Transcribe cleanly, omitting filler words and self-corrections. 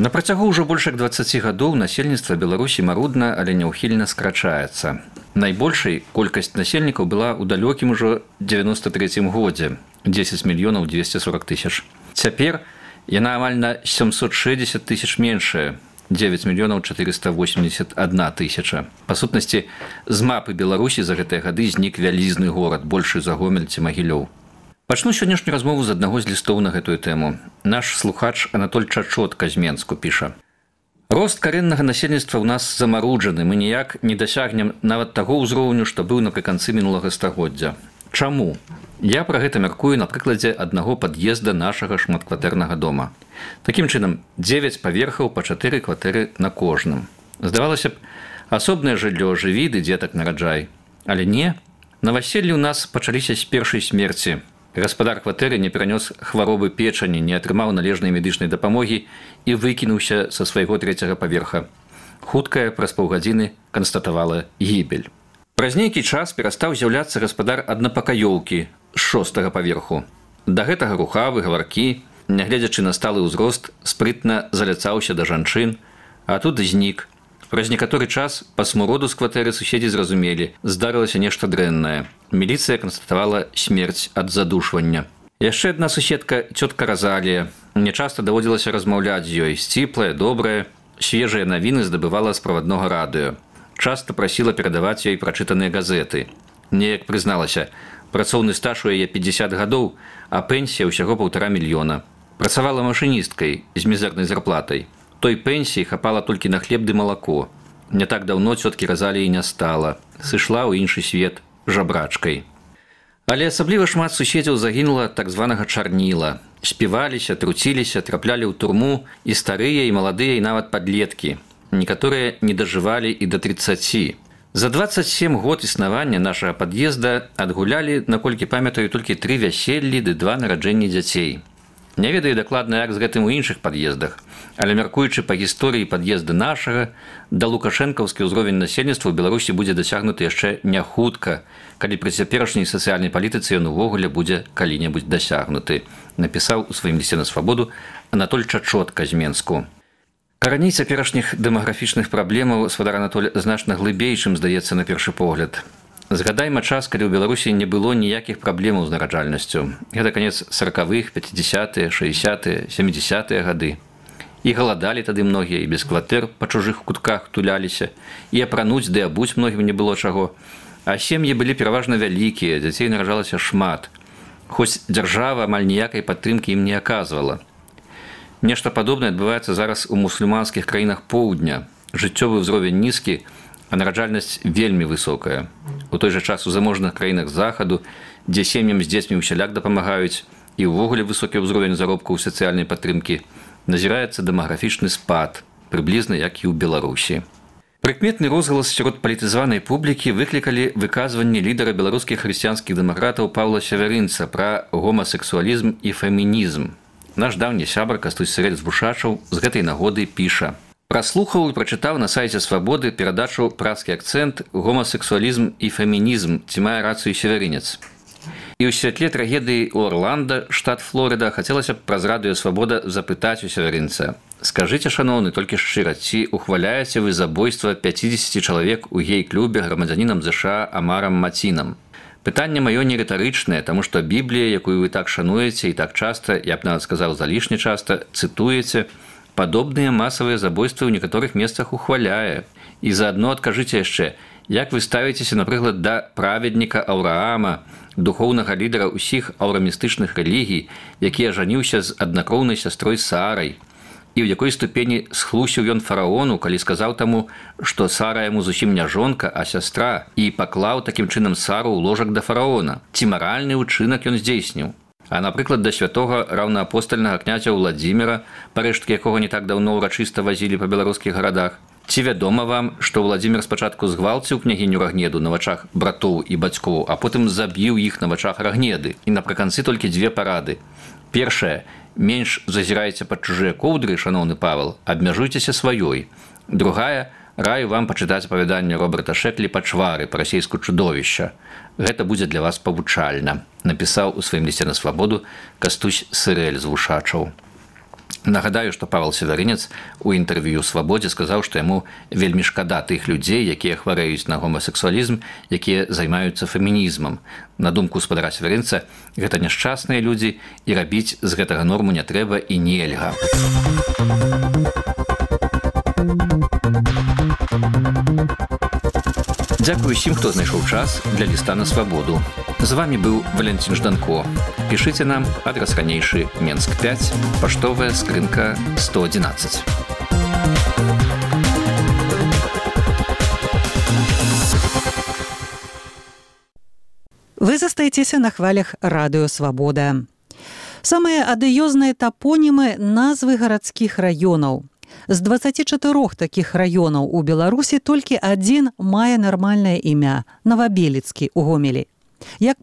На працягу ўжо больш як 20 гадоў насельніцтва Беларусі марудна, але няўхільна скрачаецца. Найбольшай колькасць насельнікаў была ў далёкім ужо 93 годзе – 10 мільёнаў 240 тысяч. Цяпер яна амаль на 760 тысяч меншая – 9 мільёнаў 481 тысяча. Па сутнасці, з мапы Беларусі за гэтыя гады знік вялізны горад, большы за Гомель ці Магілёў. Пачну сённяшнюю размову з аднаго з лістоў на гэтую тэму. Наш слухач Анатоль Чачотка з Менску піша. Рост карэннага насельніцтва ў нас замаруджаны, мы ніяк не дасягнем нават таго ўзроўню, што быў напрыканцы мінулага стагоддзя. Чаму? Я пра гэта мяркую на прыкладзе аднаго пад'езда нашага шматкватэрнага дома. Такім чынам, 9 паверхаў па 4 кватэры на кожным. Здавалася б, асобнае жыллё, жыві ды дзетак нараджай. Але не. Наваселлі ў нас пачаліся з першай смерці. Гаспадар кватэры не перанёс хваробы печані, не атрымаў належнай медычнай дапамогі і выкінуўся са свайго 3-го паверха. Хуткая праз паўгадзіны канстатавала гібель. Праз нейкі час перастаў з'яўляцца гаспадар аднапакаёўкі з 6-го паверху. Да гэтага рухавы, гаваркі, нягледзячы на сталы ўзрост, спрытна заляцаўся да жанчын, а тут знік. Праз некаторы час па смуроду з кватэры суседзі зразумелі, здарылася нешта дрэннае. Міліцыя канстатавала смерць ад задушвання. Яшчэ адна суседка, цётка Разалія. Мне часта даводзілася размаўляць з ёй. Сціплая, добрая, свежыя навіны здабывала з праваднога радыё. Часта прасіла перадаваць ёй прачытаныя газеты. Неяк прызналася, працоўны стаж у яе 50 гадоў, а пенсія ўсяго 1,5 мільёна. Працавала машыністкай з мізэрнай зарплатай. Той пенсіі хапала толькі на хлеб ды малако. Не так даўно цёткі Разаліі не стала. Сышла ў іншы свет жабрачкай. Але асабліва шмат суседзяў загінула так званага чарніла. Співаліся, труціліся, траплялі ў турму і старыя, і маладыя, і нават падлеткі. Некаторыя не дажывалі і да 30. За 27 год існавання нашага пад'езда адгулялі, наколькі памятаю, толькі 3 вяселлі ды 2 нараджэнні дзяцей. Не ведаю дакладна, як з гэтым у іншых пад'ездах, але мяркуючы па гісторыі пад'езда нашага, да лукашэнкаўскі ўзровень насельніцтва ў Беларусі будзе дасягнуты яшчэ не хутка, калі пры цяперашняй сацыяльнай палітыцы ён увогуле будзе калі-небудзь дасягнуты, напісаў у сваім лісце на свабоду Анатоль Чачотка з Менску. Караней цяперашніх дэмаграфічных праблемаў свадар Анатоль значна глыбей, чым здаецца на першы погляд. Згадайма час, калі ў Беларусі не было ніякіх праблемаў з нараджальнасцю. Гэта канец 40-х, 50-е, 60-е, 70-е гады. І галадалі тады многія, і без кватэр па чужых кутках туляліся, і апрануць ды абуць многім не было чаго. А сем'і былі пераважна вялікія, дзяцей нараджалася шмат. Хоць дзяржава амаль ніякай падтрымкі ім не аказвала. Нешта падобнае адбываецца зараз у мусульманскіх краінах поўдня. Жыццёвы ўзровень нізкі, а нараджальнасць вельмі высокая. У той жа час у заможных краінах захаду, дзе сем'ям з дзецьмі ўсяляк дапамагаюць, і ўвогуле высокі ўзровень заробку ў сацыяльнай падтрымкі, назіраецца дэмаграфічны спад, прыблізна як і ў Беларусі. Прыкметны розгалас сярод палітызаванай публікі выклікалі выказванні лідара беларускіх хрысціянскіх дэмакратаў Паўла Сявярынца пра гомасексуалізм і фемінізм. Наш даўні сябар Кастусь Сырэль з Бушачаў з гэтай нагоды піша. Праслухаў і прачытаў на сайце Свабоды перадачу «Праскі акцэнт, гомасексуалізм і фемінізм, ці мае рацыю Сявярынец». І ў святле трагедыі ў Орланда, штат Флорыда, хацелася б праз радыё Свабода запытаць у Сявярынца. Скажыце, шаноўны, толькі шчыра, ці ухваляеце вы забойства 50 чалавек у гей-клубе грамадзянінам ЗША Амарам Мацінам? Пытанне маё не рытарычнае, таму што Біблія, якую вы так шануеце і так часта, я б нават сказаў залішне часта, цытуеце, падобныя масавыя забойствы ў некаторых месцах ухваляе. І заадно адкажыце яшчэ, як вы ставіцеся, напрыклад, да праведніка Аўраама, духоўнага лідара ўсіх аўрамістычных рэлігій, які ажаніўся з аднакроўнай сястрой Сарай, і ў якой ступені схлусіў ён фараону, калі сказаў таму, што Сара яму зусім не жонка, а сястра, і паклаў такім чынам Сару ў ложак да фараона. Ці маральны ўчынак ён здзейсніў? А, напрыклад, да святога раўнаапостальнага князя Владзіміра, парэшткі якога не так даўно ўрачыста вазілі па беларускіх гарадах. Ці вядома вам, што Владзімір спачатку згвалціў княгіню Рагнеду на вачах братоў і бацькоў, а потым забіў іх на вачах Рагнеды? І напрыканцы толькі 2 парады. Першая – менш зазірайце пад чужыя коўдры, шаноўны Павел, абмяжуйцеся сваёй. Другая – раю вам пачытаць апавяданне Роберта Шэклі «Пачвары» па-расейску «Чудовішча». Гэта будзе для вас павучальна, напісаў у сваім лісце на Свабоду Кастусь Сырэль з Вушачаў. Нагадаю, што Павел Северынец у інтэрв'ю «Свабодзе» сказаў, што яму вельмі шкада тых людзей, якія хварэюць на гомасексуалізм, якія займаюцца фемінізмам. На думку спадара Северынца, гэта няшчасныя людзі, і рабіць з гэтага норму не трэба і нельга. Дзякую усім, хто знайшоў час для ліста на свабоду. З вами быў Валентин Жданко. Пішыце нам, адрас ранейшы Менск 5, паштовая скрынка 111. Вы застаецеся на хвалях радыё «Свабода». Самыя адыёзныя тапонімы назвы гарадскіх раёнаў. З 24 такіх раёнаў у Беларусі толькі адзін мае нармальнае імя – Новабелецкі ў Гомелі. Як